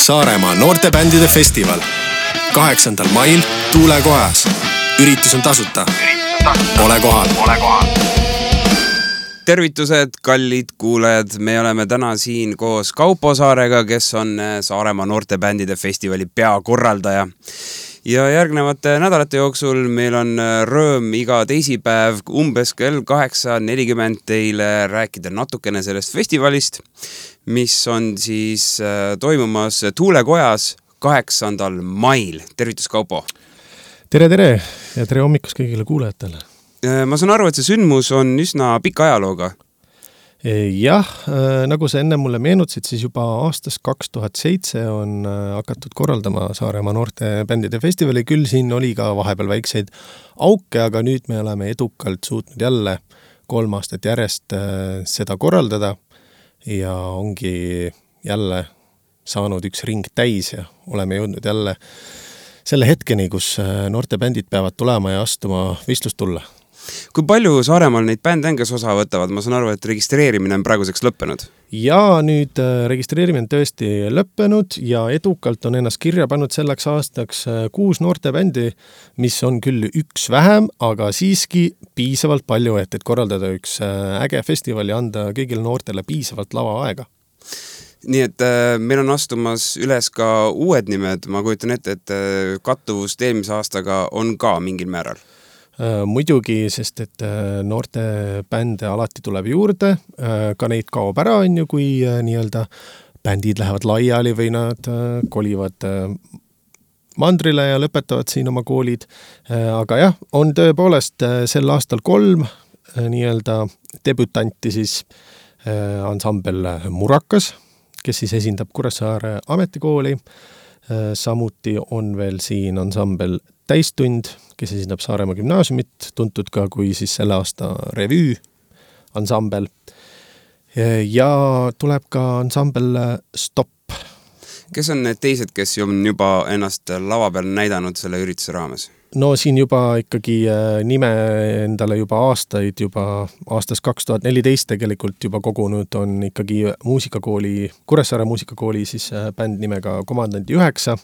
Saaremaa noortebändide festival 8. mail Tuulekojas. Üritus on tasuta. Ole kohal. Tervitused, kallid kuulajad, me oleme täna siin koos Kaupo Saarega, kes on Saaremaa noortebändide festivali peakorraldaja. Ja järgnevate nädalate jooksul meil on rõõm iga teisipäev umbes kell 8:40 teile rääkida natukene sellest festivalist, mis on siis toimumas Tuulekojas 8. mail. Tervitus, Kaupo! Tere ja tere hommikust kõigile kuulajatele! Ma saan aru, et see sündmus on üsna pika ajalooga. Jah, nagu sa enne mulle meenutasid, siis juba aastast 2007 on hakatud korraldama Saaremaa noortebändide festivali. Küll siin oli ka vahepeal väikseid auke, aga nüüd me oleme edukalt suutnud jälle 3 aastat järjest seda korraldada ja ongi jälle saanud üks ring täis ja oleme jõudnud jälle selle hetkeni, kus noortebändid peavad tulema ja astuma võistlustulla. Kui palju Saaremaal neid bände on, kes osa võtavad? Ma saan aru, et registreerimine on praeguseks lõppenud. Ja nüüd registreerimine on tõesti lõppenud ja edukalt on ennast kirja pannud selleks aastaks 6 noortebändi, mis on küll üks vähem, aga siiski piisavalt palju, et korraldada üks äge festival ja anda kõigile noortele piisavalt lava aega. Nii et meil on astumas üles ka uued nimed. Ma kujutan ette, et kattuvust eelmise aastaga on ka mingil määral. Muidugi, sest et noorte bände alati tuleb juurde, ka neid kaob ära, kui nii-öelda bändid lähevad laiali või nad kolivad mandrile ja lõpetavad siin oma koolid. Aga jah, on tõepoolest sel aastal 3 nii-öelda debütanti siis ansambel Murakas, kes siis esindab Kuressaare ametikooli. Samuti on veel siin ansambel Täistund, kes esindab Saaremaa gümnaasiumit, tuntud ka kui siis selle aasta revüü ansambel. Ja tuleb ka ansambel Stop. Kes on need teised, kes on juba ennast lava peal näidanud selle ürituse raames? No siin juba ikkagi nime endale juba aastaid, juba aastast 2014 tegelikult juba kogunud on ikkagi muusikakooli, Kuressaare muusikakooli siis bänd nimega Komandanti 9,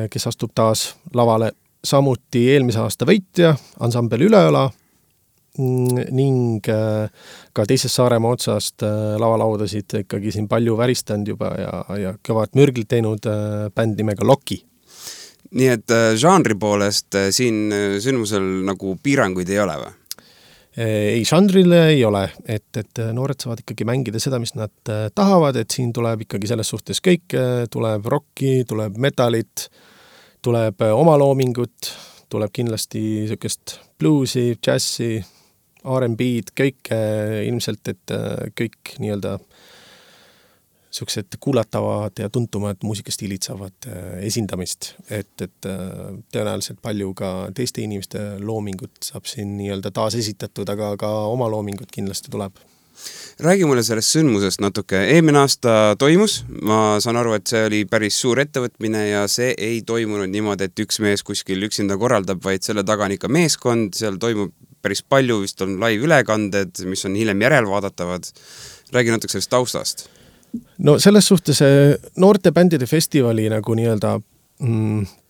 kes astub taas lavale. Samuti eelmise aasta võitja, ansambel Üleõla ning ka teisest Saaremaa otsast lavalaudasid ikkagi siin palju väristanud juba ja kõvad mürglit teinud bänd nimega Loki. Nii et žanri poolest siin sündmusel nagu piiranguid ei ole või? Ei, žanrile ei ole, et noored saavad ikkagi mängida seda, mis nad tahavad, et siin tuleb ikkagi selles suhtes kõik, tuleb rocki, tuleb metalit, tuleb omaloomingut, tuleb kindlasti niisugust bluesi, džassi, R&B'd, kõik ilmselt, et kõik nii-öelda niisugused kuulatavad ja tuntumad muusikastiilid saavad esindamist, et tõenäoliselt palju ka teiste inimeste loomingut saab siin nii-öelda taas esitatud, aga ka oma loomingut kindlasti tuleb. Räägi mulle sellest sündmusest natuke. Eelmine aasta toimus, ma saan aru, et see oli päris suur ettevõtmine ja see ei toimunud niimoodi, et üks mees kuskil üksinda korraldab, vaid selle taga on ikka meeskond, seal toimub päris palju, vist on live ülekanded, mis on hiljem järelvaadatavad. Räägi natuke sellest taustast. No selles suhtes noortebändide festivali nagu nii-öelda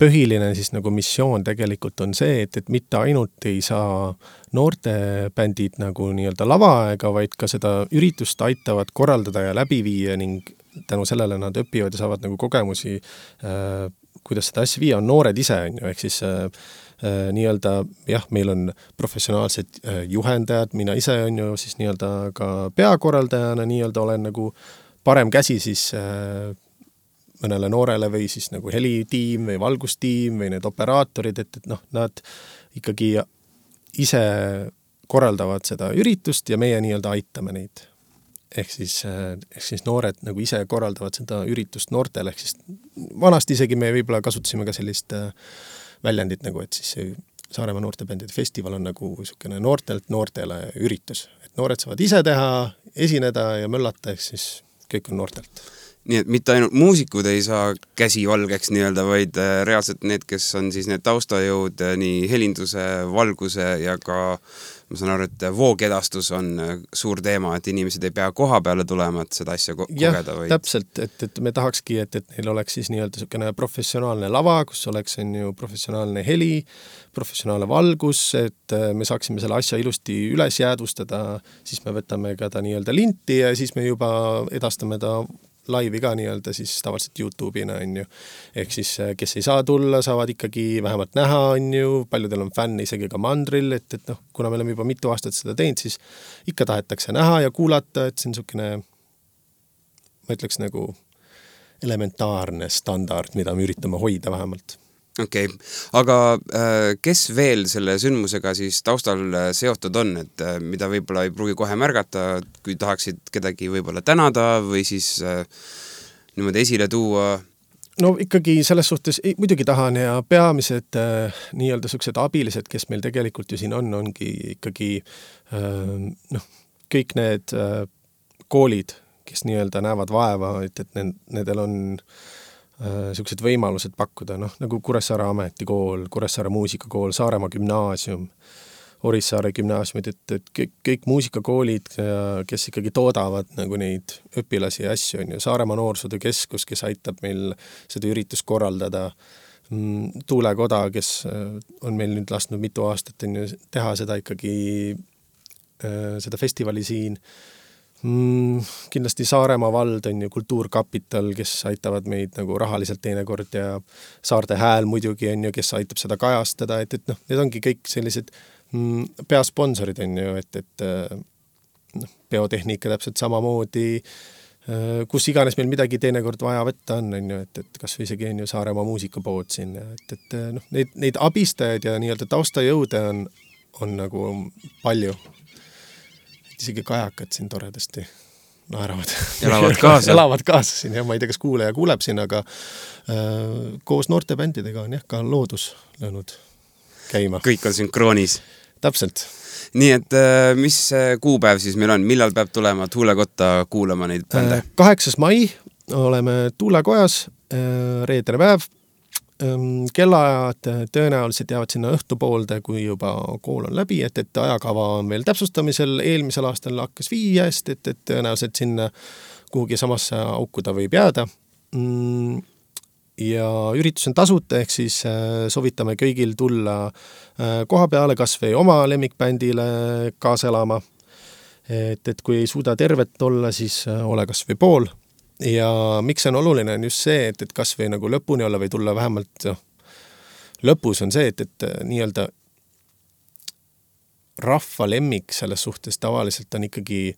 põhiline siis nagu missioon tegelikult on see, et mitte ainult ei saa noortebändid nagu nii-öelda lavaaega, vaid ka seda üritust aitavad korraldada ja läbi viia ning tänu sellele nad õpivad ja saavad nagu kogemusi, kuidas seda asja viia on noored ise, ehk siis nii-öelda, jah, meil on professionaalsed juhendajad, mina ise on ju siis nii-öelda ka peakorraldajana nii-öelda olen nagu parem käsi siis mõnele noorele või siis nagu helitiim või valgustiim või need operaatorid, et nad ikkagi ise korraldavad seda üritust ja meie nii-öelda aitame neid. Ehk siis noored nagu ise korraldavad seda üritust noortele, ehk siis vanasti isegi me võib-olla kasutasime ka sellist väljendit nagu, et siis Saaremaa noortebändide festival on nagu niisugune noortelt noortele üritus. Et noored saavad ise teha, esineda ja möllata, ehk siis kõik on noortelt. Nii et mitte ainult muusikud ei saa käsi valgeks nii-öelda, vaid reaalselt need, kes on siis need taustajõud nii helinduse, valguse ja ka ma saan aru, et voogedastus on suur teema, et inimesed ei pea koha peale tulema, et seda asja kogeda. Jah, täpselt, et me tahakski, et neil oleks siis nii-öelda selline professionaalne lava, kus oleks professionaalne heli, professionaalne valgus, et me saaksime selle asja ilusti üles jäädvustada, siis me võtame ka ta nii-öelda linti ja siis me juba edastame ta laivi ka nii-öelda siis tavaliselt YouTube'ina, on ju. Ehk siis, kes ei saa tulla, saavad ikkagi vähemalt näha, on ju, paljudel on fänn isegi ka mandril, et kuna me oleme juba mitu aastat seda teinud, siis ikka tahetakse näha ja kuulata, et see on niisugune, ma ütleks nagu elementaarne standard, mida me üritame hoida vähemalt. Okei, aga kes veel selle sündmusega siis taustal seotud on, et mida võib-olla ei pruugi kohe märgata, kui tahaksid kedagi võib-olla tänada või siis niimoodi esile tuua? No ikkagi selles suhtes muidugi tahan ja peamised nii-öelda sellised abilised, kes meil tegelikult ju siin ongi ikkagi kõik need koolid, kes nii-öelda näevad vaeva, et nendel on sellised võimalused pakkuda, nagu Kuressaare ametikool, Kuressaare muusikakool, Saaremaa gümnaasium, Orissaare gümnaasiumid, et kõik muusikakoolid, kes ikkagi toodavad nagu neid õpilasi ja asju, on ju, Saaremaa noorsootöökeskus, kes aitab meil seda üritust korraldada, Tuulekoda, kes on meil nüüd lasknud mitu aastat on ju, teha seda ikkagi, seda festivali siin, kindlasti Saaremaa vald on ju Kultuurkapital, kes aitavad meid nagu rahaliselt teinekord ja Saarte Hääl muidugi on ju, kes aitab seda kajastada, et need ongi kõik sellised peasponsorid on ju, et biotehnika täpselt samamoodi, kus iganes meil midagi teinekord vaja võtta on ju, et kas või isegi on ju Saaremaa muusikapood siin, et neid abistajaid ja nii-öelda taustajõude on nagu palju. Isegi kajakad siin toredasti naeravad. Elavad kaasa siin, ma ei tea, kas kuulaja kuuleb siin, aga koos noortebändidega on ka loodus löönud käima. Kõik on sünkroonis. Täpselt. Nii, et mis kuupäev siis meil on? Millal peab tulema Tuulekotta kuulama neid bände? 8. mai oleme Tuulekojas, reedene päev. Kellaajad tõenäoliselt jäävad sinna õhtupoolde, kui juba kool on läbi, et ajakava on veel täpsustamisel, eelmisel aastal hakkas 5, et tõenäoliselt sinna kuhugi samasse auku ta võib jääda. Ja üritus on tasuta, ehk siis sovitame kõigil tulla koha peale kas või oma lemmikbändile kaasa elama. Et kui ei suuda tervet olla, siis ole kas või pool. Ja miks on oluline on just see, et kas või nagu lõpuni olla või tulla vähemalt lõpus on see, et nii-öelda rahva lemmik selles suhtes tavaliselt on ikkagi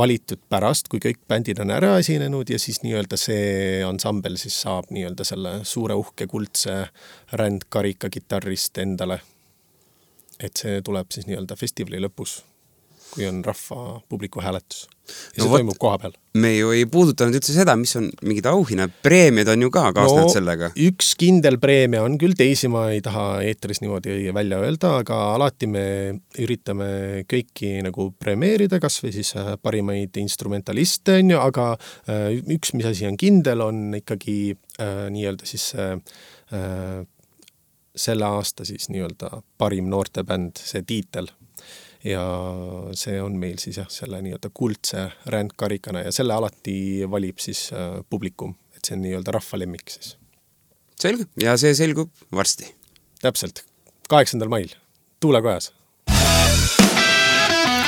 valitud pärast, kui kõik bändid on ära esinenud ja siis nii-öelda see ansambel siis saab nii-öelda selle suure uhke kuldse rändkarika kitarrist endale. Et see tuleb siis nii-öelda festivali lõpus, kui on rahva publiku hääletus. Ja see toimub koha peal. Me ju ei puudutanud üldse seda, mis on mingid auhinna preemiad on ju ka kaasnenud sellega. Üks kindel preemia on küll, teisi ma ei taha eetris niimoodi välja öelda, aga alati me üritame kõiki nagu premeerida, kas või siis parimaid instrumentaliste on ju, aga üks, mis asi on kindel, on ikkagi nii-öelda siis selle aasta siis nii-öelda parim noortebänd, see tiitel. Ja see on meil siis selle nii-öelda kuldse rändkarikana ja selle alati valib siis publikum, et see on nii-öelda rahvalemmik siis. Selge, ja see selgub varsti. Täpselt, 8. mail, Tuulekojas.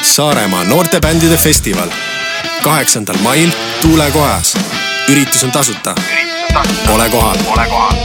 Saaremaa noortebändide festival, 8. mail Tuulekojas. Üritus on tasuta. Ole kohal.